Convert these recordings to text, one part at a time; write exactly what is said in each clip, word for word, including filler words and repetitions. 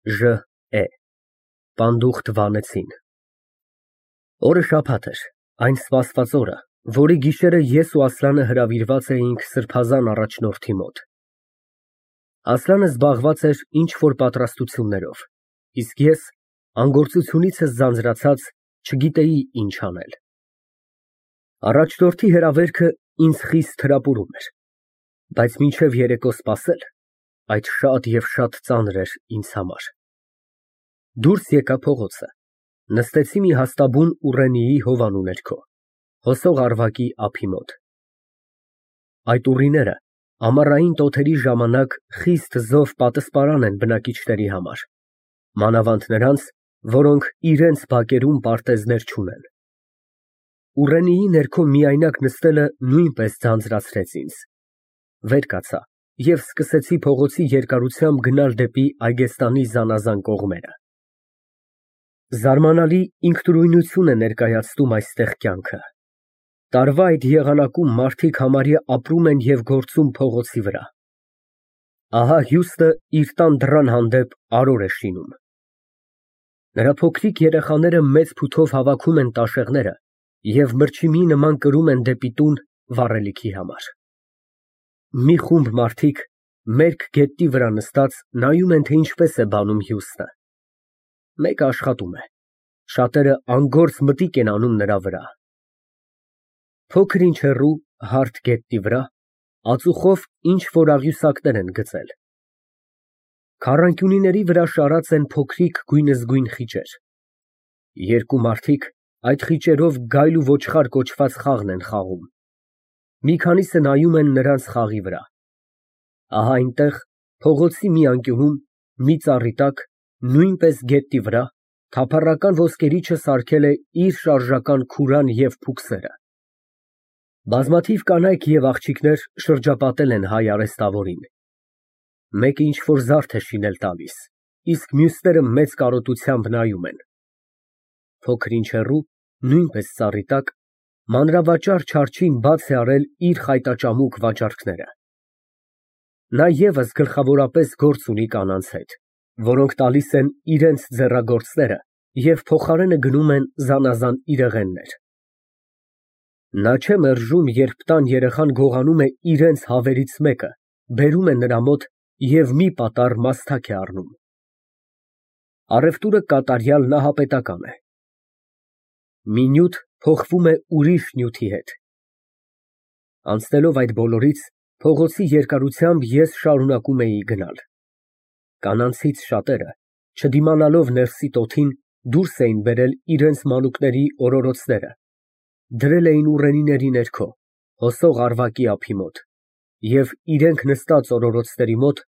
Ժ է Պանդուխտ վանեցին։ Օրը շաբաթ էր, այն սպասված օրը, որի գիշերը ես ու Ասլանը հրավիրված էինք սրբազան առաջնորդի մոտ։ Ասլանը զբաղված էր ինչ֊որ պատրաստություններով, իսկ ես անգործությունիցս ձանձրացած չգիտեի ինչ անել։ Առաջնորդի հրավերքը ինձ խիստ թրապուրում էր, բայց մինչև երեկո սպասել, այդ շատ և շատ ծանր էր ինձ համար։ Դուրս եկա փողոցը, նստեցի մի հաստաբուն ուռենիի հովանու ներքո, հոսող ավարակի ափի մոտ։ Այդ ուռիները ամառային տոթերի ժամանակ խիստ զով պատսպարան են բնակիչների համար, մանավանդ նրանց, որոնք իրենց բակերում պարտեզներ չունեն։ Ուռենիի ներքո միայնակ նստելը նույնպես ձանձրացրեց ինձ։ Վեր կացա և սկսեցի փողոցի երկարությամբ գնալ դեպի Այգեստանի զանազան կողմերը։ Զարմանալի ինքնուրույնություն է ներկայացնում այստեղ կյանքը։ Տարվա այդ եղանակում մարդիկ համարյա ապրում են և գործում փողոցի վրա։ Ահա հյուսը իր տան դռան հանդեպ արոր է շինում։ Նրա փոքրիկ երեխաները մեծ փութով հավաքում են տաշեղները և մրջիմի նման կրում են դեպի տուն վառելիքի համար։ Մի խումբ մարդիկ մերկ գետնի վրա նստած նայում են, թե ինչպես է բանում հյուսը։ Մեկը աշխատում է, շատերը անգործ մտիկ են անում նրա վրա։ Փոքր ինչ հեռու, հարթ գետնի վրա, ածուխով ինչ֊որ աղյուսակներ են գծել։ Քառանկյունիների վրա շարած են փոքրիկ գույնզգույն խիճեր։ Երկու մարդիկ այդ խիճերով գայլ ու ոչխար կոչված խաղն են խաղում։ Մի քանիսը նայում են նրանց խաղի վրա։ Ահա այնտեղ, փողոցի մի անկյունում, մի ծառի տակ, նույնպես գետնի վրա, թափառական ոսկերիչը սարքել է իր շարժական քուրան և փուքսերը։ Բազմաթիվ կանայք և աղջիկներ շրջապատել են հայ արհեստավորին։ Մեկը ինչ֊որ զարդ է շինել տալիս, իսկ մյուսները մեծ կարոտությամբ նայում են։ Փոքր ինչ հեռու, նույնպես ծառի տակ, մանրավաճառ Չարչին բաց է արել իր խայտաճամուկ վաճառքները։ Նա ևս գլխավորապես գործ ունի կանանց հետ, որոնք տալիս են իրենց ձեռագործները և փոխարենը գնում են զանազան իրեղեններ։ Նա չէ մերժում, երբ տան երեխան գողանում է իրենց հավերից մեկը, բերում է նրա մոտ և մի պատառ մասթակ է առնում։ Առևտուրը կատարյալ նահապետական է։ Մի նյութ փոխվում է ուրիշ նյութի հետ։ Անցնելով այդ բոլորից, փողոցի երկարությամբ ես շարունակում էի գնալ։ Կանանցից շատերը, չդիմանալով ներսի տոթին, դուրս էին բերել իրենց մանուկների օրորոցները, դրել էին ուռենիների ներքո, հոսող ավարակի ափի մոտ, և իրենք նստած օրորոցների մոտ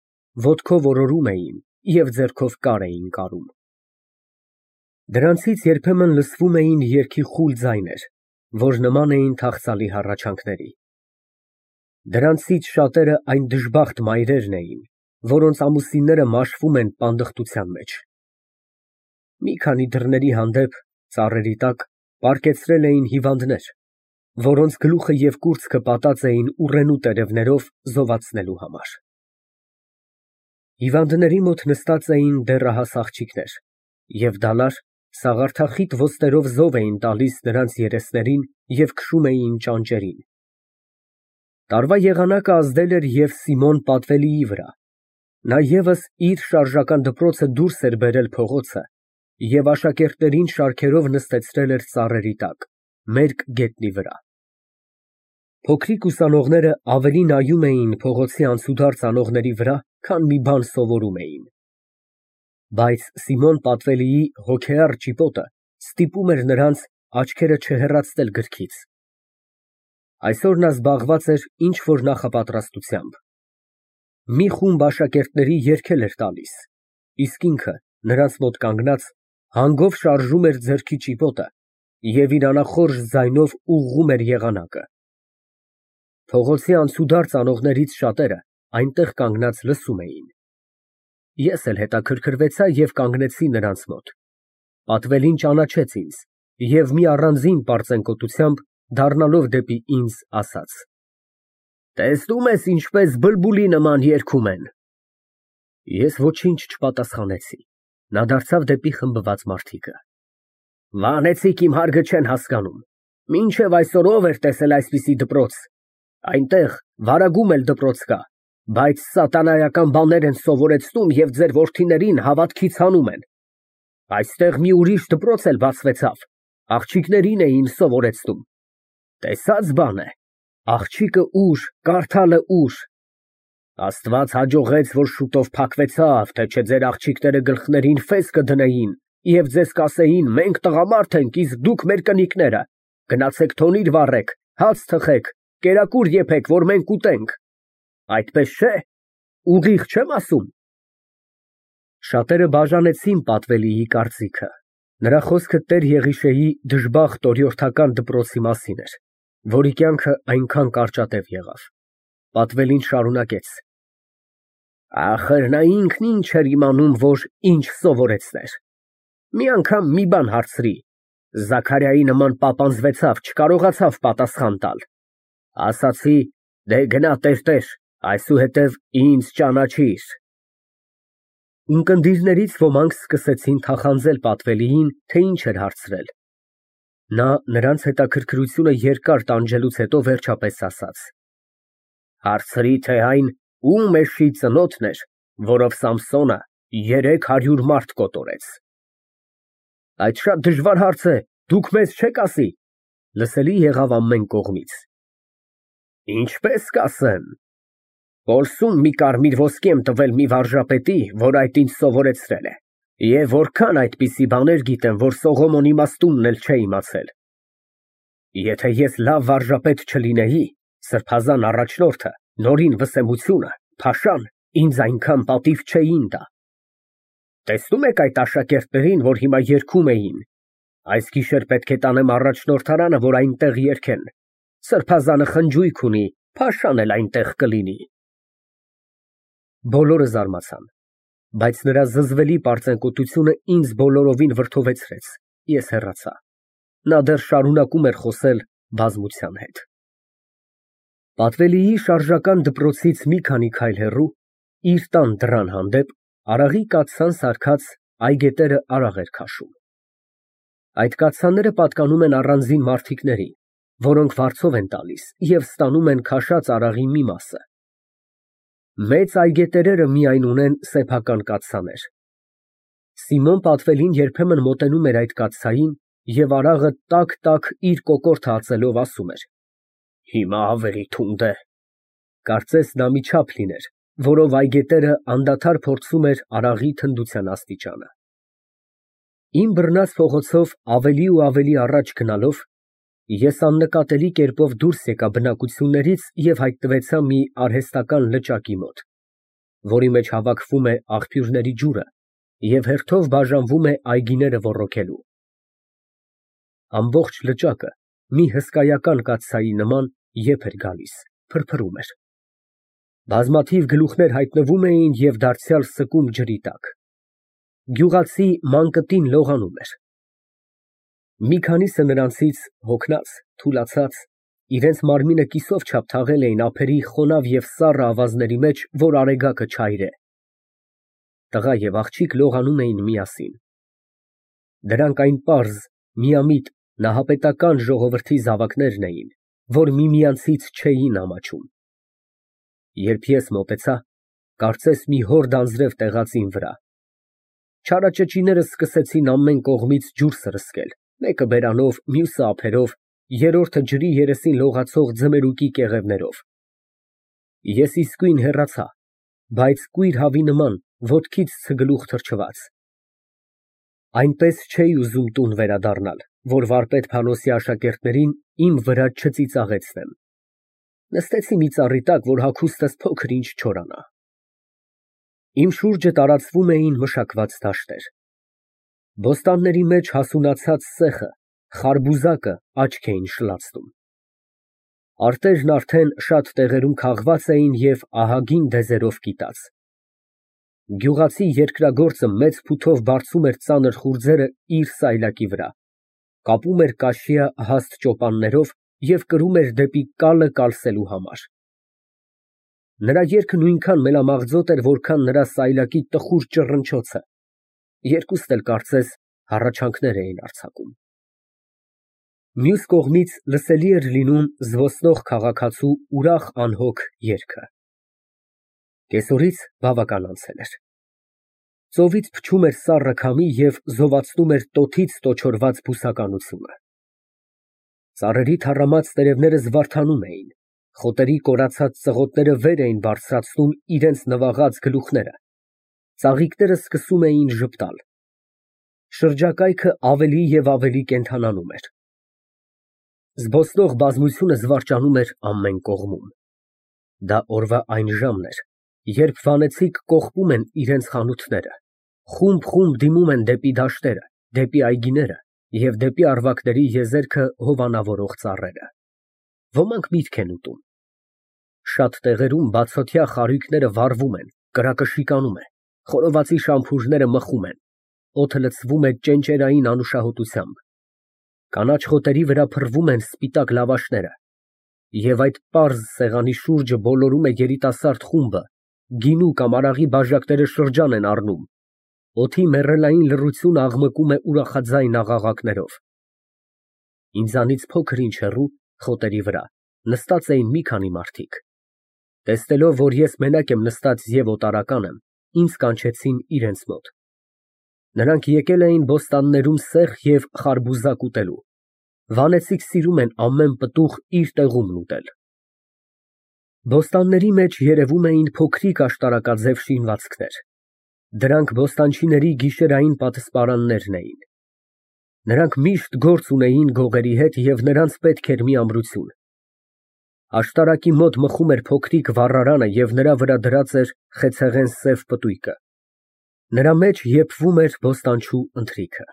ոտքով օրորում էին և ձեռքով կար էին կարում։ Դրանցից երբեմն լսվում էին երգի խուլ ձայներ, որ նման էին թախծալի հառաչանքների։ Դրանցից շատերը այն դժբախտ մայրերն էին, որոնց ամուսինները մաշվում են պանդխտության մեջ։ Մի քանի դռների հանդեպ, ծառերի տակ, պառկեցրել էին հիվանդներ, որոնց գլուխը և կուրծքը պատած էին ուռենու տերևներով զովացնելու համար։ Հիվանդների մոտ նստած էին դեռահաս աղջիկներ և դալար, սաղարթախիտ ոստերով զով էին տալիս նրանց երեսներին և քշում էին ճանճերին։ Տարվա եղանակը ազդել էր և Սիմոն Պատվելիի վրա։ Նա ևս իր շարժական դպրոցը դուրս էր բերել փողոցը և աշակերտներին շարքերով նստեցրել էր ծառերի տակ, մերկ գետնի վրա։ Փոքրիկ ուսանողները ավելի նայում էին փողոցի անցուդարձ անողների վրա, քան մի բան սովորում էին։ Բայց Սիմոն Պատվելիի հոգեառ ճիպոտը ստիպում էր նրանց աչքերը չհեռացնել գրքից։ Այսօր նա զբաղված էր ինչ֊որ նախապատրաստությամբ։ Մի խումբ աշակերտների երգել էր տալիս, իսկ ինքը, նրանց մոտ կանգնած, հանգով շարժում էր ձեռքի ճիպոտը և իր անախորժ ձայնով ուղղում էր եղանակը։ Փողոցի անցուդարձ անողներից շատերը այնտեղ կանգնած լսում էին։ Ես էլ հետաքրքրվեցա և կանգնեցի նրանց մոտ։ Պատվելին ճանաչեց ինձ և մի առանձին պարծենկոտությամբ, դառնալով դեպի ինձ, ասաց. «Տեսնում ես, ինչպես բլբուլի նման երգում են»։ Ես ոչինչ չպատասխանեցի։ Նա դարձավ դեպի խմբված մարդիկը։ Վանեցիք իմ հարգը չեն հասկանում։ Մինչև այսօր ով էր տեսել այսպիսի դպրոց։ Այնտեղ վարագում էլ դպրոց կա, բայց սատանայական բաներ են սովորեցնում և ձեր որդիներին հավատքից հանում են։ Այստեղ մի ուրիշ դպրոց էլ բացվեցավ, աղջիկներին էին սովորեցնում։ Տեսած բան է, աղջիկը ուր, կարդալը ուր։ Աստված հաջողեց, որ շուտով փակվեցավ, թե չէ ձեր աղջիկները գլխներին ֆես կդնեին և ձեզ կասեին, մենք տղամարդ ենք, իսկ դուք մեր կնիկները, գնացեք թոնիր վառեք, հաց թխեք, կերակուր եփեք, որ մենք ուտենք։ Այդպես չէ՞, ուղիղ չեմ ասում։ Շատերը բաժանեցին պատվելիի կարծիքը։ Նրա խոսքը տեր Եղիշեի դժբախտ օրիորդական դպրոցի մասին էր, որի կյանքը այնքան կարճատև եղավ։ Պատվելին շարունակեց. Ախր նա ինքն ինչ էր իմանում, որ ինչ սովորեցներ։ Մի անգամ մի բան հարցրի, Զաքարիայի նման պապանձվեցավ, չկարողացավ պատասխան տալ։ Ասացի, դե գնա տերտեր, այսուհետև ինձ ճանաչիր։ Ունկնդիրներից ոմանք սկսեցին թախանձել պատվելիին, թե ինչ էր հարցրել։ Նա նրանց հետաքրքրությունը երկար տանջելուց հետո վերջապես ասաց. Հարցրի, թե այն ում էշի ծնոտն էր, որով Սամսոնը երեք հարյուր մարդ կոտորեց։ Այդ շատ դժվար հարց է, դուք մեզ չեք ասի, լսելի եղավ ամեն կողմից։ Ինչպես կասեմ, Պոլսում մի կարմիր ոսկի եմ տվել մի վարժապետի, որ այդ ինձ սովորեցրել է, և որքան այդպիսի բաներ գիտեմ, որ Սողոմոն իմաստունն էլ չէ իմացել։ Եթե ես լավ վարժապետ չլինեի, սրբազան առաջնորդը, նորին վսեմությունը, փաշան, ինձ այնքան պատիվ չէին տա։ Տեսնում եք այդ աշակերտներին, որ հիմա երգում էին, այս գիշեր պետք է տանեմ առաջնորդարանը, որ այնտեղ երգեն, սրբազանը խնջույք ունի, փաշան էլ այնտեղ կլինի։ Բոլորը զարմացան, բայց նրա զզվելի պարծենկոտությունը ինձ բոլորովին վրդովեցրեց, ես հեռացա։ Նա դեռ շարունակում էր խոսել բազմության հետ։ Պատվելիի շարժական դպրոցից մի քանի քայլ հեռու, իր տան դռան հանդեպ, արաղի կաթսան սարքած այգետերը արաղ էր քաշում։ Այդ կաթսաները պատկանում են առանձին մարդիկների, որոնք վարձով են տալիս և ստանում են քաշած արաղի մի մասը։ Մեծ այգետերերը միայն ունեն սեփական կաթսաներ։ Սիմոն Պատվելին երբեմն մոտենում էր այդ կաթսային և արաղը տաք֊տաք իր կոկորդը ածելով ասում էր. Հիմա ավելի թունդ է։ Կարծես դա մի չափ լիներ, որով այգետերը անդադար փորձում էր արաղի թնդության աստիճանը։ Իմ բռնած փողոցով ավելի ու ավելի առաջ գնալով, ես աննկատելի կերպով դուրս եկա բնակություններից և հայտնվեցա մի արհեստական լճակի մոտ, որի մեջ հավաքվում է աղբյուրների ջուրը և հերթով բաժանվում է այգիները ոռոգելու։ Ամբողջ լճակը մի հսկայական կաթսայի նման եփ էր գալիս, փրփրում էր։ Բազմաթիվ գլուխներ հայտնվում էին և դարձյալ սկում ջրի տակ։ Գյուղացի ման կտին լողանում էր։ Մի քանիսը նրանցից հոգնած, թուլացած, իրենց մարմինը կիսով չափ թաղել էին ափերի խոնավ և սառը ավազների մեջ, որ արեգակը չայրե։ Տղա և աղջիկ լողանում էին միասին։ Դրանք այն պարզ, միամիտ, նահապետական ժողովրդի զավակներն էին, որ միմյանցից չէին ամաչում։ Երբ ես մոտեցա, կարծես մի հորդ անձրև տեղացին վրա։ Չարաճճիները սկսեցին ամեն կողմից ջուր սրսկել, մեկը բերանով, մյուսը ափերով, երրորդը ջրի երեսին լողացող ձմերուկի կեղևներով։ Ես իսկույն հեռացա, բայց կույր հավի նման, ոտքից ցգլուխ թրջված։ Այնպես չէի ուզում տուն վերադառնալ, որ վարպետ Փանոսի աշակերտներին իմ վրա չծիծաղեցնեմ։ Նստեցի մի ծառի տակ, որ հագուստս փոքր-ինչ չորանա։ Իմ շուրջը տարածվում էին մշակված դաշտեր։ Բոստանների մեջ հասունացած սեխը, խարբուզակը աչք էին շլացնում։ Արտերն արդեն շատ տեղերում քաղված էին և ահագին դեզերով կիտած։ Գյուղացի երկրագործը մեծ փութով բարձում էր ծանր խուրձերը իր սայլակի վրա, կապում էր կաշիա հաստ ճոպաններով և կրում էր դեպի կալը կալսելու համար։ Նրա երգը նույնքան մելամաղձոտ էր, որքան նրա սայլակի տխուր ճռնչոցը, երկուստ էլ կարծես հառաչանքներ էին արձակում։ Մյուս կողմից լսելի էր լինում զբոսնող քաղաքացու ուրախ անհոգ երգը։ Կեսօրից բավական անցել էր։ Ծովից փչում էր սառը քամի և զովացնում էր տոթից տոչորված բուսականությունը։ Ծառերի թառամած տերևները զվարթանում էին, խոտերի կորացած ծղոտները վեր էին բարձրացնում իրենց նվաղած գլուխները, ծաղիկները սկսում էին ժպտալ։ Շրջակայքը ավելի և ավելի կենդանանում էր։ Զբոսնող բազմությունը զվարճանում էր ամեն կողմում։ Դա օրվա այն ժամն էր, երբ վանեցիք կողպում են իրենց խանութները, խումբ֊խումբ դիմում են դեպի դաշտերը, դեպի այգիները և դեպի առվակների եզերքը հովանավորող ծառերը։ Ոմանք միտք են ուտում։ Շատ տեղերում բացօթյա խարույկները վառվում են, կրակը շիկանում է, խորովածի շամփուրները մխում են, օդը լցվում է ճենճերային անուշահոտությամբ։ Կանաչ խոտերի վրա փռվում են սպիտակ լավաշները, և այդ պարզ սեղանի շուրջը բոլորում է երիտասարդ խումբը, գինու կամ արաղի բաժակները շրջան են առնում, օդի մեռելային լռությունը աղմկում է ուրախաձայն աղաղակներով։ Ինձանից փոքր ինչ հեռու, խոտերի վրա, նստած էին մի քանի մարդիկ։ Տեսնելով, որ ես մենակ եմ նստած և օտարական եմ, ինձ կանչեցին իրենց մոտ։ Նրանք եկել էին բոստաններում սեխ և խարբուզակ ուտելու։ Վանեցիք սիրում են ամեն պտուղ իր տեղումն ուտել։ Բոստանների մեջ երևում էին փոքրիկ աշտարակաձև շինվածքներ։ Դրանք բոստանչիների գիշերային պատսպարաններն էին։ Նրանք միշտ գործ ունեին գողերի հետ և նրանց պետք էր մի ամրություն։ Աշտարակի մոտ մխում էր փոքրիկ վառարանը և նրա վրա դրած էր խեցեղեն սև պտույկը։ Նրա մեջ եփվում էր բոստանչու ընթրիքը։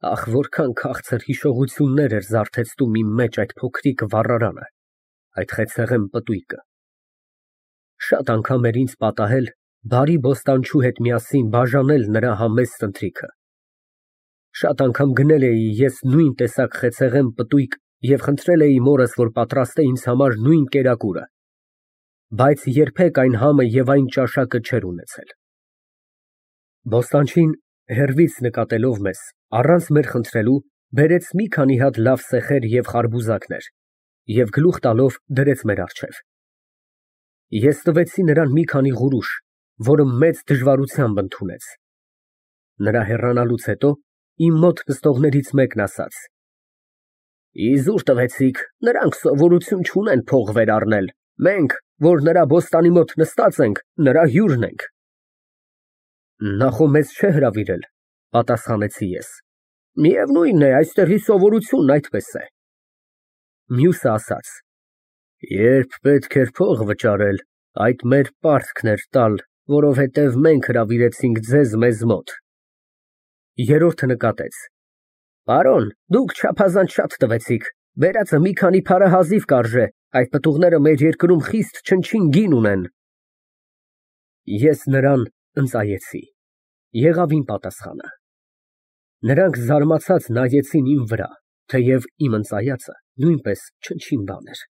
Ահ, որքան քաղցր հիշողություններ էր զարթեցնում իմ մեջ այդ փոքրիկ վառարանը, այդ խեցեղեն պտույկը։ Շատ անգամ էր ինձ պատահել բարի բոստանչու հետ միասին բաժանել նրա համեստ ընթրիքը։ Շատ անգամ գնել էի ես նույն տեսակ խեցեղեն պտույկ և խնդրել էի մորս, որ պատրաստե ինձ համար նույն կերակուրը, բայց երբեք այն համը և այն ճաշակը չէր ունեցել։ Բոստանչին, հեռվից նկատելով մեզ, առանց մեր խնդրելու, բերեց մի քանի հատ լավ սեխեր և խարբուզակներ և գլուխ տալով դրեց մեր առջև։ Ես տվեցի նրան մի քանի ղուրուշ, որը մեծ դժվարությամբ ընդունեց։ Նրա հեռանալուց հետո իմ մոտ նստողներից մեկն ասաց. Իզուր տվեցիք, նրանք սովորություն չունեն փող վեր առնել, մենք, որ նրա բոստանի մոտ նստած ենք, նրա հյուրն ենք։ Նա խո մեզ չէ հրավիրել, պատասխանեցի ես։ Միևնույն է, այստեղի սովորությունն այդպես է։ Մյուսը ասաց. Երբ պետք էր փող վճարել, այդ մեր պարտքն էր տալ, որովհետև մենք հրավիրեցինք ձեզ մեզ մոտ։ Երրորդը նկատեց. Պարոն, դուք չափազանց շատ տվեցիք, բերածը մի քանի փարը հազիվ կարժե, այդ պտուղները մեր երկրում խիստ չնչին գին ունեն։ Ես նրան ընծայեցի, եղավ իմ պատասխանը։ Նրանք զարմացած նայեցին իմ վրա, թեև իմ ընծայածը նույնպես չնչին բան էր։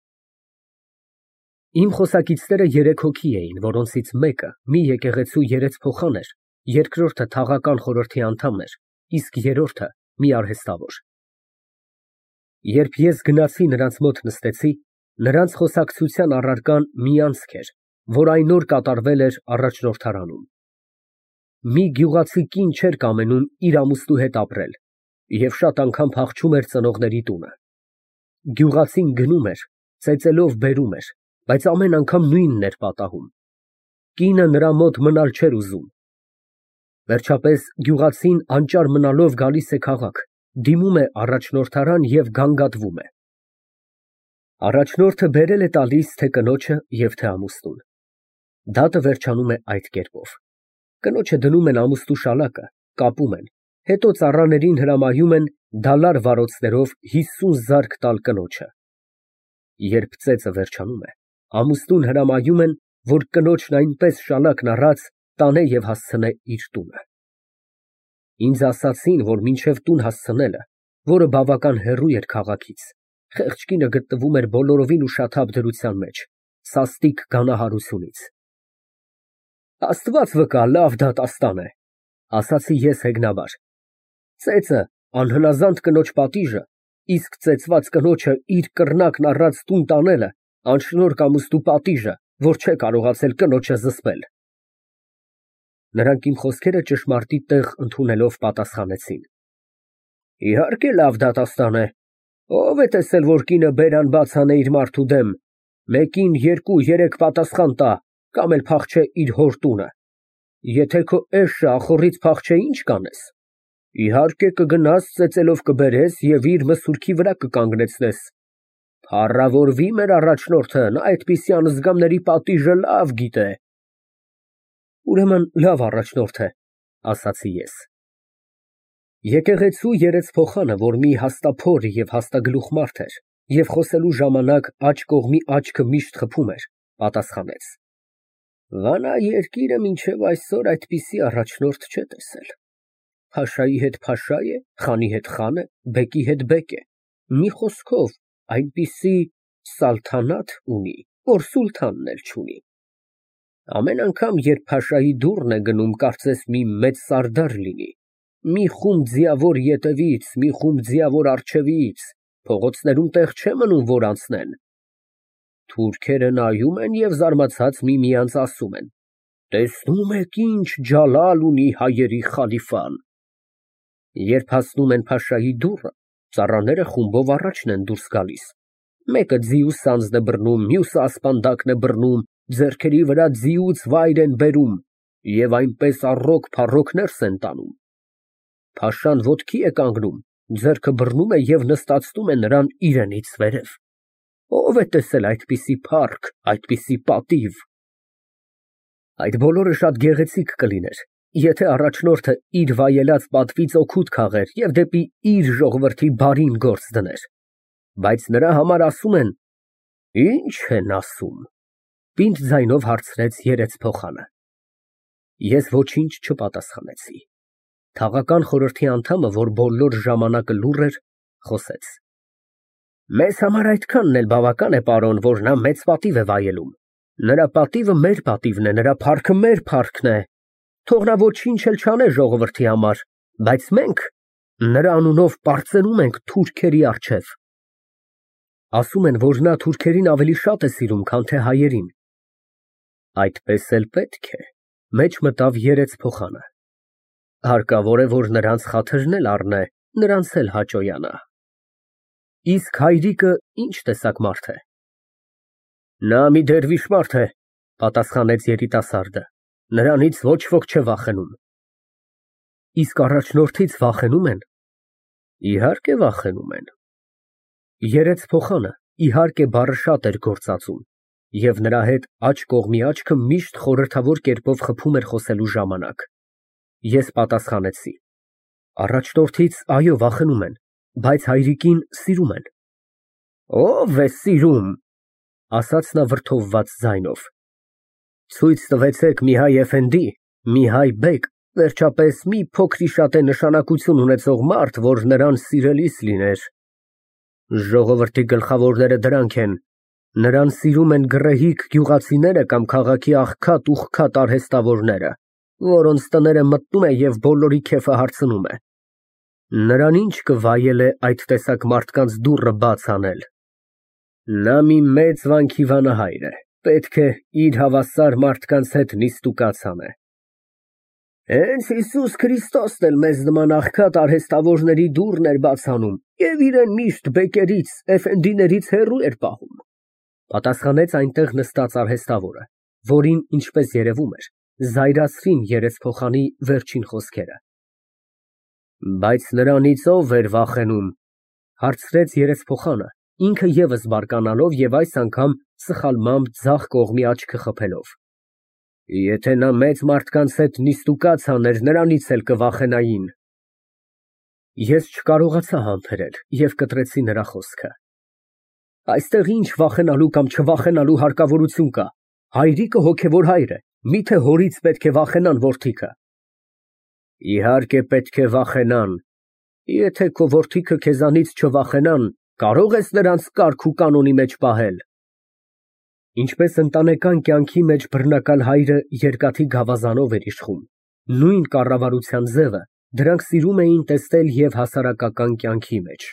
Իմ խոսակիցները երեք հոգի էին, որոնցից մեկը մի եկեղեցու երեցփոխան էր, երկրորդը թաղական խորհրդի անդամ էր, իսկ երրորդը մի արհեստավոր։ Երբ ես գնացի նրանց մոտ նստեցի, նրանց խոսակցության առարկան մի անցք էր, որ այն օր կատարվել էր առաջնորդարանում։ Մի գյուղացի կին չէր կամենում իր ամուսնու հետ ապրել և շատ անգամ փախչում էր ծնողների տունը։ Գյուղացին գնում էր, ծեծելով բերում էր, բայց ամեն անգամ նույնն էր պատահում։ Կինը նրա մոտ մնալ չէր ուզում։ Վերջապես գյուղացին անճար մնալով գալիս է քաղաք, դիմում է առաջնորդարան և գանգատվում է։ Առաջնորդը բերել է տալիս թե կնոջը և թե ամուսնուն։ Դատը վերջանում է այդ կերպով. կնոջը դնում են ամուսնու շալակը, կապում են, հետո ծառաներին հրամայում են դալար վարոցներով հիսուն զարկ տալ կնոջը։ Երբ ծեծը վերջանում է, ամուսնուն հրամայում են, որ կնոջն այնպես շալակն առած տանե և հասցնե իր տունը։ Ինձ ասացին, որ մինչև տուն հասցնելը, որը բավական հեռու էր քաղաքից, խեղճ կինը գտնվում էր բոլորովին ուշաթափ դրության մեջ, սաստիկ գանահարությունից։ Աստված վկա, լավ դատաստան է։ Ասացի ես հեգնաբար։ Ծեծը անհնազանդ կնոջ պատիժը, իսկ ծեծված կնոջը իր կռնակն առած տուն տանելը անշնորհք ամուսնու պատիժը, որ չէ կարողացել կնոջը զսպել։ Նրանք իմ խոսքերը ճշմարտի տեղ ընդունելով պատասխանեցին. Իհարկե լավ դատաստան է։ Ո՞վ է տեսել, որ կինը բերան բաց անե իր մարդու դեմ, մեկին երկու երեք պատասխան տա, կամ էլ փախչե իր հոր տունը։ Եթե քո էշը ախոռից փախչե, ինչ կանես։ Իհարկե կգնաս ծեծելով կբերես և իր մսուրքի վրա կկանգնեցնես։ Փառավորվի մեր առաջնորդը, նա այդպիսի անզգամների պատիժը լավ գիտե։ Ուրեմն լավ առաջնորդ է, ասացի ես։ Եկեղեցու երեսփոխանը, որ մի հաստափոր և հաստագլուխ մարդ էր, և խոսելու ժամանակ աջ կողմի աչքը միշտ խփում էր, պատասխանեց. Վանա երկիրը մինչև այսօր այդպիսի առաջնորդ չէ տեսել։ Փաշայի հետ փաշա է, խանի հետ խան է, բեկի հետ բեկ է, մի խոսքով այնպիսի սալթանաթ ունի, որ սուլթանն էլ չունի։ Ամեն անգամ, երբ փաշայի դուռն է գնում, կարծես մի մեծ սարդար լինի, մի խումբ ձիավոր ետևից, մի խումբ ձիավոր առջևից, փողոցներում տեղ չէ մնում, որ անցնեն։ Թուրքերը նայում են և զարմացած միմյանց ասում են. Տեսնում եք ինչ ջալալ ունի հայերի խալիֆան։ Երբ հասնում են փաշայի դուռը, ծառաները խումբով առաջն են դուրս գալիս, մեկը ձիու սանձն է բռնում, մյուսը ասպանդակն է բռնում, ձեռքերի վրա ձիուց վայր են բերում և այնպես առոք-փառոք ներս են տանում։ Փաշան ոտքի է կանգնում, ձեռքը բռնում է և նստացնում է նրան իրենից վերև։ Ո՞վ է տեսել այդպիսի փառք, այդպիսի պատիվ։ Այդ բոլորը շատ գեղեցիկ կլիներ, եթե առաջնորդը իր վայելած պատվից օգուտ քաղեր և դեպի իր ժողովրդի բարին գործ դներ, բայց նրա համար ասում են։ Ի՞նչ են ասում, պինդ ձայնով հարցրեց երեսփոխանը։ Ես ոչինչ չպատասխանեցի։ Թաղական խորհրդի անդամը, որ բոլոր ժամանակը լուռ էր, խոսեց. Մեզ համար այդքանն էլ բավական է, պարոն, որ նա մեծ պատիվ է վայելում։ Նրա պատիվը մեր պատիվն է, նրա փառքը մեր փառքն է։ Թող նա ոչինչ էլ չանե ժողովրդի համար, բայց մենք նրա անունով պարծենում ենք թուրքերի առջև։ Ասում են, որ նա թուրքերին ավելի շատ է սիրում, քան թե հայերին։ Այդպես էլ պետք է, մեջ մտավ երեսփոխանը։ Հարկավոր է, որ նրանց խաթրն էլ առնե, նրանց էլ հաճոյանա։ Իսկ հայրիկը ինչ տեսակ մարդ է։ Նա մի դերվիշ մարդ է, պատասխանեց երիտասարդը, նրանից ոչ ոք չէ վախենում։ Իսկ առաջնորդից վախենում են։ Իհարկե վախենում են։ Երեսփոխանը իհարկե բառը շատ էր գործածում, և նրա հետ աջ կողմի աչքը միշտ խորհրդավոր կերպով խփում էր խոսելու ժամանակ։ Ես պատասխանեցի. Առաջնորդից այո վախենում են, բայց հայրիկին սիրում են։ Ո՞վ է սիրում, ասաց նա վրդովված ձայնով։ Ցույց տվեցեք մի հայ էֆենդի, մի հայ բեկ, վերջապես մի փոքրիշատե նշանակություն ունեցող մարդ, որ նրան սիրելիս լիներ։ Ժողովրդի գլխավորները դրանք են, նրան սիրում են գռեհիկ գյուղացիները կամ քաղաքի աղքատ-ուղղքատ արհեստավորները, որոնց տները մտնում է և բոլորի քեֆը հարցնում է։ Նրան ինչ կվայել է այդ տեսակ մարդկանց դուռը բաց անել։ Նա մի մեծ վանքի վանահայր է, պետք է իր հավասար մարդկանց հետ նիստուկաց անե։ Հենց Հիսուս Քրիստոսն էլ մեզ նման աղքատ արհեստավորների դուռն էր բաց անում և իրեն միշտ բեկերից, էֆենդիներից հեռու էր պահում, պատասխանեց այնտեղ նստած արհեստավորը, որին, ինչպես երևում էր, զայրացրին երեսփոխանի վերջին խոսքերը։ Բայց նրանից ո՞վ էր վախենում, հարցրեց երեսփոխանը, ինքը ևս բարկանալով և այս անգամ սխալմամբ ձախ կողմի աչքը խփելով։ Եթե նա մեծ մարդկանց հետ նիստուկաց աներ, նրանից էլ կվախենային։ Ես չկարողացա համբերել և կտրեցի նրա խոսքը։ Այստեղ ինչ վախենալու կամ չվախենալու հարկավորություն կա։ Հայրիկը հոգևոր հայր է, միթե հորից պետք է վախենան որդիքը։ Իհարկե պետք է վախենան։ Եթե քո որդիքը քեզանից չվախենան, կարո՞ղ ես նրանց կարգ ու կանոնի մեջ պահել։ Ինչպես ընտանեկան կյանքի մեջ բռնակալ հայրը երկաթի գավազանով էր իշխում, Նույն կառավարության ձևը դրանք սիրում էին տեսնել և հասարակական կյանքի մեջ։